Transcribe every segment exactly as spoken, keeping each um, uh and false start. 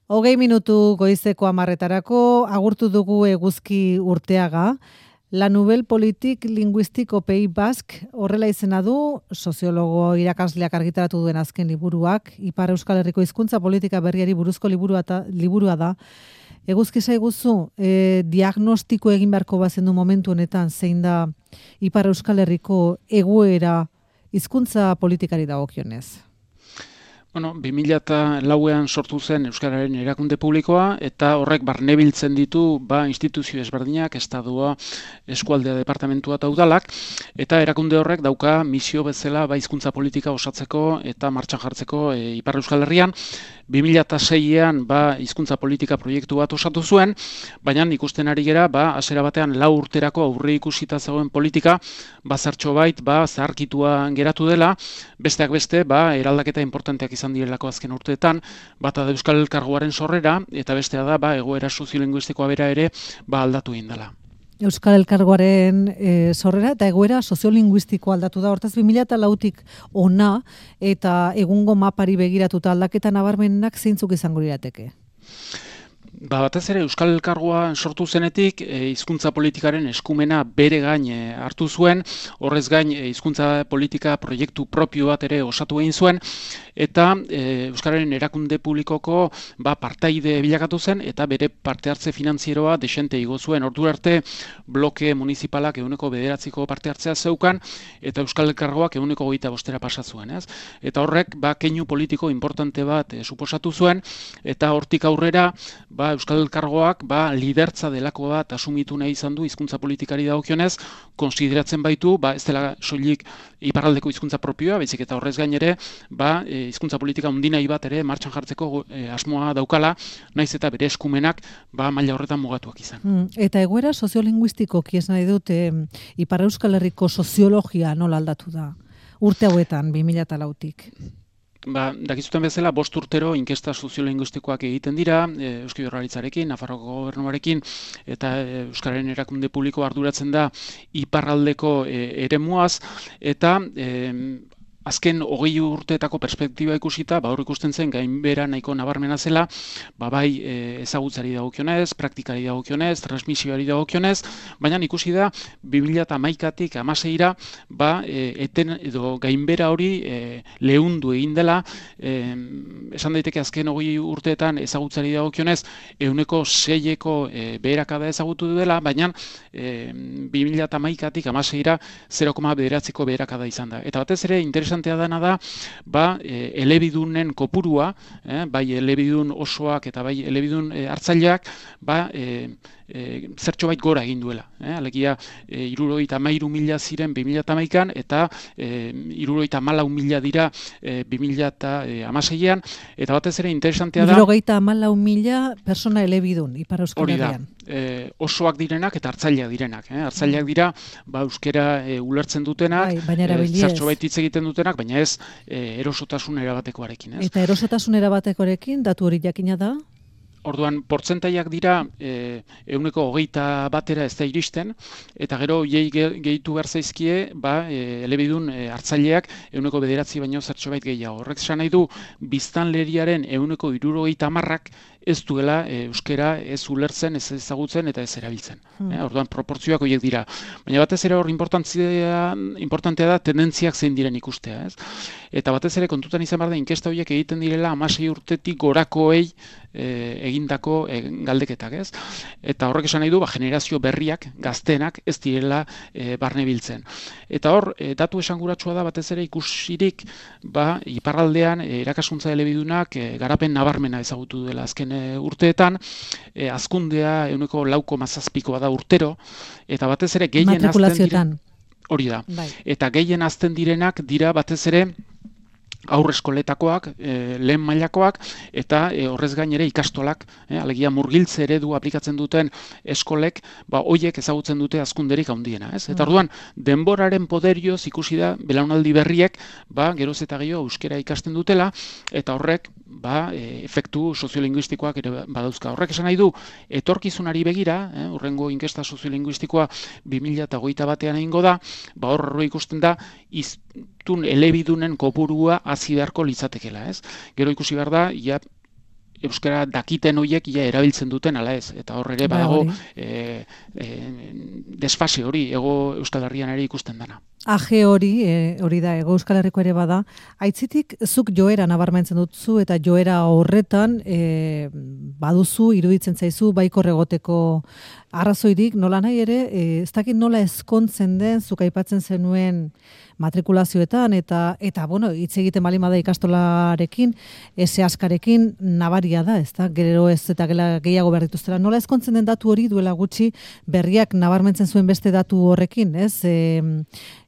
Hogei minutu goizeko hamarretarako agurtu dugu Eguzki Urteaga. La Nouvelle Politique Linguistique au Pays Basque horrela izena du, soziologo irakasleak argitaratu duen azken liburuak, Ipar Euskal Herriko hizkuntza politika berriari buruzko liburua, ta, liburua da. Eguzki zaiguzu, e, diagnostiko egin beharko bazendu momentu honetan, zein da Ipar Euskal Herriko egoera hizkuntza politikari dagokionez? Bueno, bi mila lauean sortu zen Euskararen erakunde publikoa, eta horrek barnebiltzen ditu ba, instituzio ezberdinak, estadua, eskualdea, departamentua eta udalak, eta erakunde horrek dauka misio bezala ba, hizkuntza politika osatzeko eta martxan jartzeko e, Ipar Euskal Herrian. bi mila seian ba, hizkuntza politika proiektu bat osatu zuen, baina ikusten ari gera, ba, hasiera batean lau urterako aurre ikusita zegoen politika, ba, zertxo bait, ba, zaharkitua geratu dela, besteak beste, ba, eraldaketa importanteak izan direlako azken urteetan, bata da Euskal Elkargoaren sorrera, eta bestea da, ba, egoera soziolinguistikoa bera ere, ba, aldatu egin dela. Euskal Elkargoaren e, sorrera eta egoera soziolinguistikoa aldatu da. Hortaz, bi mila lautik ona eta egungo mapari begiratuta aldaketa nabarmenak zeintzuk izango lirateke? Ba, batez ere Euskal Elkargoa sortu zenetik e, hizkuntza politikaren eskumena bere gain e, hartu zuen, horrez gain e, hizkuntza politika proiektu propio bat ere osatu egin zuen, eta e, Euskararen erakunde publikoko ba, partaide bilakatu zen, eta bere parte hartze finantzieroa desente igo zuen. Ordu arte bloke municipalak ehuneko bederatziko parte hartzea zeukan, eta Euskal Elkargoak ehuneko hogeita bostera pasa zuen. Ez? Eta horrek ba, keinu politiko importante bat e, suposatu zuen, eta hortik aurrera ba, Euskal Elkargoak ba, lidertza delako bat asumitu nahi izan du hizkuntza politikari dagokionez, konsideratzen baitu, ba, ez dela soilik iparraldeko hizkuntza propioa, baizik eta horrez gain ere, ba, e, hizkuntza politika undinai bat ere martxan jartzeko e, asmoa daukala, naiz eta bere eskumenak ba, maila horretan mugatuak izan. Hmm, eta egoera soziolinguistikoki ez nahi dute Ipar Euskal Herriko soziologia nola aldatu da? Urte hauetan, bi mila lautik. Ba, dakizuten bezala, bost urtero inkesta soziolinguistikoak egiten dira, e, Eusko Jaurlaritzarekin, Nafarroko gobernuarekin, eta e, Euskararen erakunde publiko arduratzen da iparraldeko e, eremuaz, eta e, azken hogei urteetako perspektiba ikusita, ba hor ikusten zen gainbera nahiko nabarmena zela, ba bai e, ezagutzari dagokionez, praktikari dagokionez, transmisioari dagokionez, baina ikusi da bi mila hamaikatik hamaseira ba e, eten edo gainbera hori e, lehundu egin dela, e, esan daiteke azken hogei urteetan ezagutzari dagokionez ehuneko seieko e, beherakada ezagutu dela, baina e, bi mila hamaikatik hamaseira zero koma bederatziko beherakada izan da. Eta batez ere interesantea dena da, ba, e, elebidunen kopurua, eh, bai elebidun osoak eta bai elebidun e, hartzaileak, ba, e, e, zertxo bait gora egin duela. Eh? Alegia, e, irurogeita hamairu mila ziren bi mila hamaikan, eta e, irurogeita hamalau mila dira e, bi mila hamaseian, eta batez ere interesantea da... Irurogeita hamalau mila persona elebidun, Ipar Euskal Herrian. E, osoak direnak eta hartzaileak direnak. Eh? Hartzaileak dira, ba, euskera e, ulertzen dutenak, bai, e, zertxo bait hitz egiten dutenak, baina ez e, erosotasun erabatekoarekin. Ez? Eta erosotasun erabatekoarekin, datu hori jakina da? Orduan, portzentaiak dira e, ehuneko hogeita batera ez da iristen, eta gero hiei gehitu behar zaizkie, ba, e, elebidun e, hartzaileak ehuneko bederatzi baino zertxo bait gehiago. Horrek esan nahi du, biztanleriaren ehuneko hirurogeita hamarrak ez duela e, euskera ez ulertzen, ez ezagutzen eta ez erabiltzen. Hmm. E, orduan, proportzioak horiek dira. Baina batez ere hor importantea da tendentziak zein diren ikustea. Ez? Eta batez ere kontutan izan behar da inkesta horiek egiten direla hamasei urtetik gorakoei e, egindako e, galdeketak. Ez? Eta horrek esan nahi du, ba, generazio berriak, gaztenak ez direla e, barne biltzen. Eta hor, e, datu esanguratsua da batez ere ikusirik, ba, iparraldean e, irakaskuntza elebidunak e, garapen nabarmena ezagutu dela azken urteetan, e, azkundea ehuneko lau koma zazpikoa da urtero, eta batez ere gehien azten diren, hori da, bai. Eta gehien azten direnak dira batez ere aurrezkoletakoak, e, lehen mailakoak, eta e, horrez gain ere ikastolak, e, alegia murgiltze eredu aplikatzen duten eskolek, ba, hoiek ezagutzen dute hazkunderik handiena. Ez? Eta orduan, denboraren poderioz ikusi da, belaunaldi berriek, ba, geroz eta gehiago euskera ikasten dutela, eta horrek, ba, e, efektu soziolinguistikoak ere badauzka. Horrek esan nahi du, etorkizunari begira, eh, urrengo inkesta soziolinguistikoa bi mila hogeita batean egingo da, ba, horre ikusten da, iztun elebidunen kopurua hazi beharko litzatekela, ez? Gero ikusi behar da, ja, euskara dakiten horiek ia erabiltzen duten ala ez. Eta hor ere badago e, e, desfase hori ego Euskal Herrian ere ikusten dana. Aje hori, e, hori da, ego Euskal Herriko ere bada, aitzitik zuk joera nabarmentzen dutzu eta joera horretan e, baduzu, iruditzen zaizu, baikor egoteko arrazoirik, nola nahi ere, e, ez dakit nola ezkontzen den, zuk aipatzen zenuen matrikulazioetan, eta, eta bueno, hitz egiten bali bada ikastolarekin, ese askarekin nabaria da, ez da, gero ez eta gela gehiago behar dituztela. Nola ezkontzen den datu hori duela gutxi berriak nabarmentzen zuen beste datu horrekin, ez? E,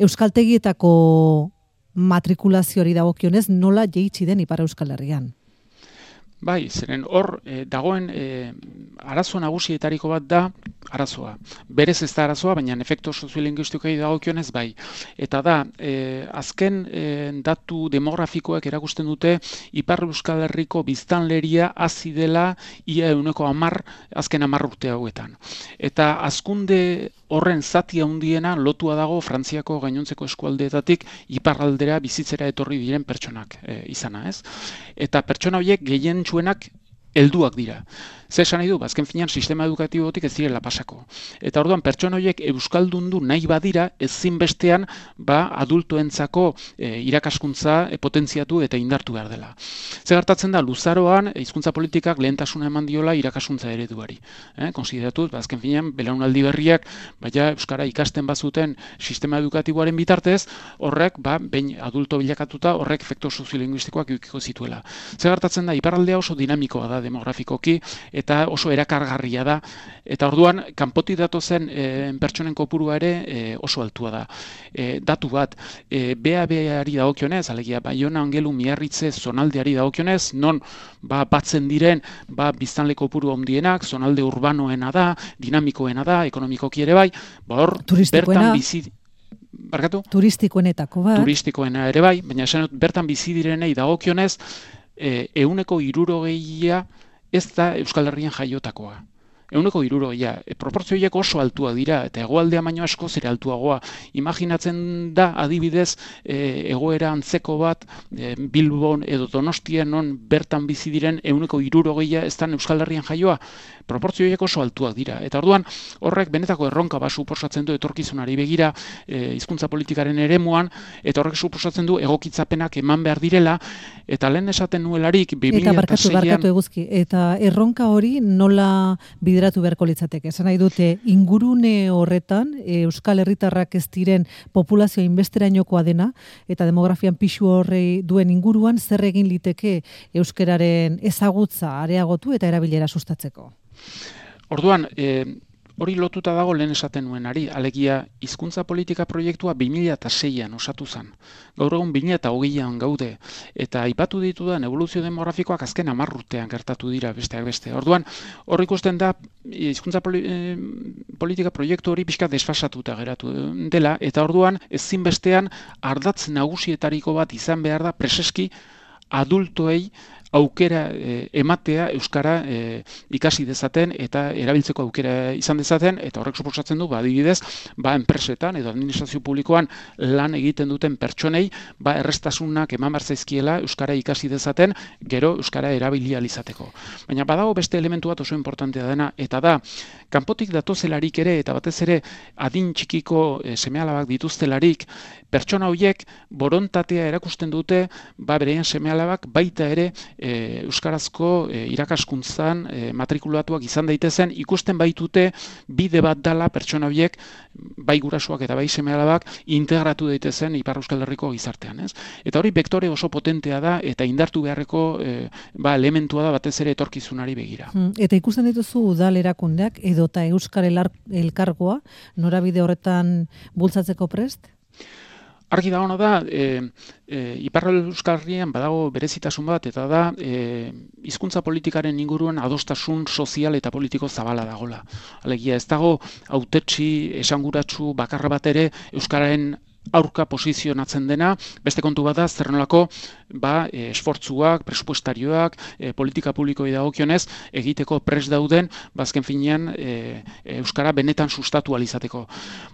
Euskaltegietako matrikulazioari dagokionez nola jeitsi den Ipar Euskal Herrian? Bai, zeren hor e, dagoen e, arazo nagusietariko bat da arazoa. Berez ez da arazoa, baina efektu soziolinguistikoei dagokionez bai. Eta da, e, azken e, datu demografikoak erakusten dute Ipar Euskal Herriko biztanleria hazi dela ia ehuneko hamar azken hamar urte hauetan. Eta hazkunde horren zati handiena lotua dago Frantziako gainontzeko eskualdeetatik iparraldera bizitzera etorri diren pertsonak e, izana, ez? Eta pertsona horiek gehien txuenak helduak dira. Zer esan nahi du, azken finean sistema edukatibotik ez direla pasako. Eta orduan pertsona horiek euskaldundu nahi badira, ezin bestean ba adultoentzako e, irakaskuntza e, potentziatu eta indartu behar dela. Zer gertatzen da, luzaroan hizkuntza politikak lehentasuna eman diola irakaskuntza ereduari. Eh, konsideratu, ba, azken finean belaunaldi berriak baina euskara ikasten bazuten sistema edukatiboaren bitartez, horrek ba behin adulto bilakatuta horrek efektu soziolinguistikoak edukiko zituela. Zer gertatzen da, iparraldea oso dinamikoa da demografikoki eta oso erakargarria da, eta orduan kanpotik datozen e, pertsonen kopurua ere e, oso altua da. E, datu bat, e, B A B-ari dagokionez, alegia Baiona, Angelu, Miarritze, zonaldeari dagokionez, non ba, batzen diren ba, biztanle kopuru handienak, zonalde urbanoena da, dinamikoena da, ekonomikoki ere bai, ba hor, bertan bizi... Barkatu? Turistikoenetako bat. Turistikoena ere bai, baina esan dut, bertan bizi direnei dagokionez, e, ehuneko hirurogeia ez da Euskal Herrian jaiotakoa. Ehuneko hirurogeia. E, proportzioiek oso altua dira, eta hegoaldea baino asko zere altuagoa. Imaginatzen da, adibidez, e, egoera antzeko bat, e, Bilbon edo Donostian non bertan bizi diren ehuneko hirurogeia ez da Euskal Herrian jaioa. Proportzioiek oso altuak dira. Eta orduan, horrek benetako erronka bat suposatzen du etorkizunari begira, e, hizkuntza politikaren eremuan, eta horrek suposatzen du egokitzapenak eman behar direla, eta lehen esaten nuelarik bi mila seian... Eta barkatu, barkatu eguzki, eta erronka hori nola bideratu beharko litzateke. Esan nahi dute, ingurune horretan, e, Euskal Herritarrak ez diren populazio inbesterainokoa dena, eta demografian pixu horrei duen inguruan, zer egin liteke euskararen ezagutza areagotu eta erabilera sustatzeko? Orduan, e, hori lotuta dago lehen esaten nuenari, alegia hizkuntza politika proiektua bi mila seian osatu zen. Gaur egun bi mila hogeian gaude, eta aipatu ditudan evoluzio demografikoak azken hamar urtean gertatu dira besteak beste. Orduan, hor ikusten da hizkuntza poli, e, politika proiektu hori pixka desfasatuta geratu dela, eta orduan ezinbestean ardatz nagusietariko bat izan behar da preseski adultoei aukera e, ematea euskara e, ikasi dezaten eta erabiltzeko aukera izan dezaten, eta horrek suposatzen du, ba, adibidez, ba, enpresetan edo administrazio publikoan lan egiten duten pertsonei, ba, errestasunak eman behar zaizkiela euskara ikasi dezaten, gero euskara erabilia izateko. Baina badago beste elementu bat oso importantea dena, eta da, kanpotik datozelarik ere, eta batez ere adin txikiko e, seme-alabak dituztelarik, pertsona horiek borontatea erakusten dute, ba, bereien seme-alabak baita ere E, euskarazko e, irakaskuntzan e, matrikulatuak izan daitezen, ikusten baitute bide bat dala pertsona horiek bai gurasoak eta bai seme-alabak integratu daitezen Ipar Euskal Herriko gizartean, ez? Eta hori bektore oso potentea da eta indartu beharreko e, ba, elementua da batez ere etorkizunari begira. Hmm, eta ikusten dituzu udal erakundeak edota Euskal Elkargoa norabide horretan bultzatzeko prest? Argi dagoena da, e, e, Ipar Euskal Herrian badago berezitasun bat, eta da e, hizkuntza politikaren inguruan adostasun sozial eta politiko zabala dagola. Alegia, ez dago hautetsi esanguratsu bakarra bat ere euskararen aurka posizionatzen dena, beste kontu bat da, zer nolako ba, e, esfortzuak, presupuestarioak, e, politika publikoi dagokionez, egiteko pres dauden, bazken finean e, Euskara benetan sustatu alizateko.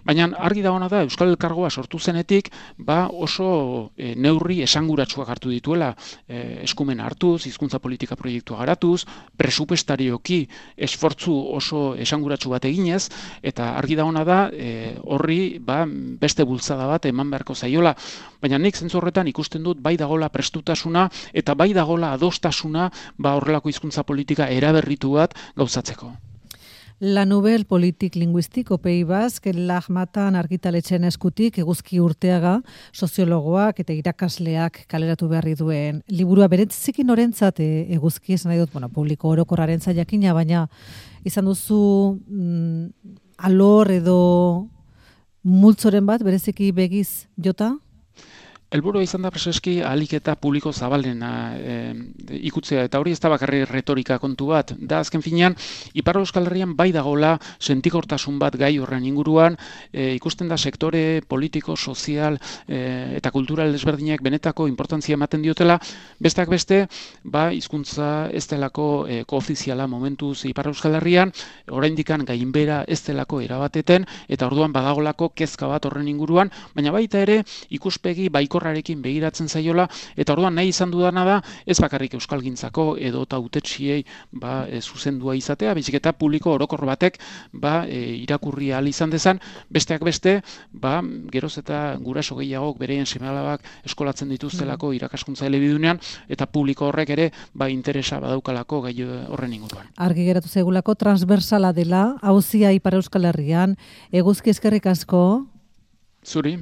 Baina argi dagoena da, Euskal Elkargoa sortu zenetik, ba, oso e, neurri esanguratsuak hartu dituela, e, eskumen hartuz, hizkuntza politika proiektua garatuz, presupuestarioki esfortzu oso esanguratsu bat eginez, eta argi dagoena da, e, horri ba, beste bultzada bat eman beharko zaiola, baina nik zentzu horretan ikusten dut bai dagola prestutasuna eta bai dagola adostasuna ba horrelako hizkuntza politika eraberritu bat gauzatzeko. La Nouvelle Politique Linguistique au Pays Basque, Lahmatan argitaletxen eskutik eguzki urteaga, soziologoak eta irakasleak kaleratu beharri duen liburua bereziki norentzat eguzki, esan nahi dut, bueno, publiko orokorraren jakina, baina izan duzu mm, alor edo multzoren bat, bereziki begiz jota? Helburua izan da preseski ahalik eta publiko zabalena e, ikutzea, eta hori ez da bakarri retorika kontu bat. Da azken finean, Ipar Euskal Herrian bai dagola sentikortasun bat gai horren inguruan, e, ikusten da sektore politiko, sozial e, eta kultural desberdinak benetako importantzia ematen diotela, besteak beste, ba, hizkuntza ez delako e, koofiziala momentuz Ipar Euskal Herrian, oraindikan gainbera ez delako erabateten, eta orduan badagolako kezka bat horren inguruan, baina baita ere ikuspegi baiko rarekin begiratzen zaiola, eta orduan nahi izan dudana da, ez bakarrik euskalgintzako edo tautetxiei ba, e, zuzendua izatea, baizik eta publiko orokor batek ba, e, irakurri ahal izan dezan, besteak beste, ba, geroz eta guraso gehiagok bereien seme-alabak eskolatzen dituztelako irakaskuntza elebidunean, eta publiko horrek ere ba, interesa badaukalako gai horren inguruan. Argi geratu zaigulako transversala dela, auzia Ipar Euskal Herrian, eguzki eskerrik asko. Zuri.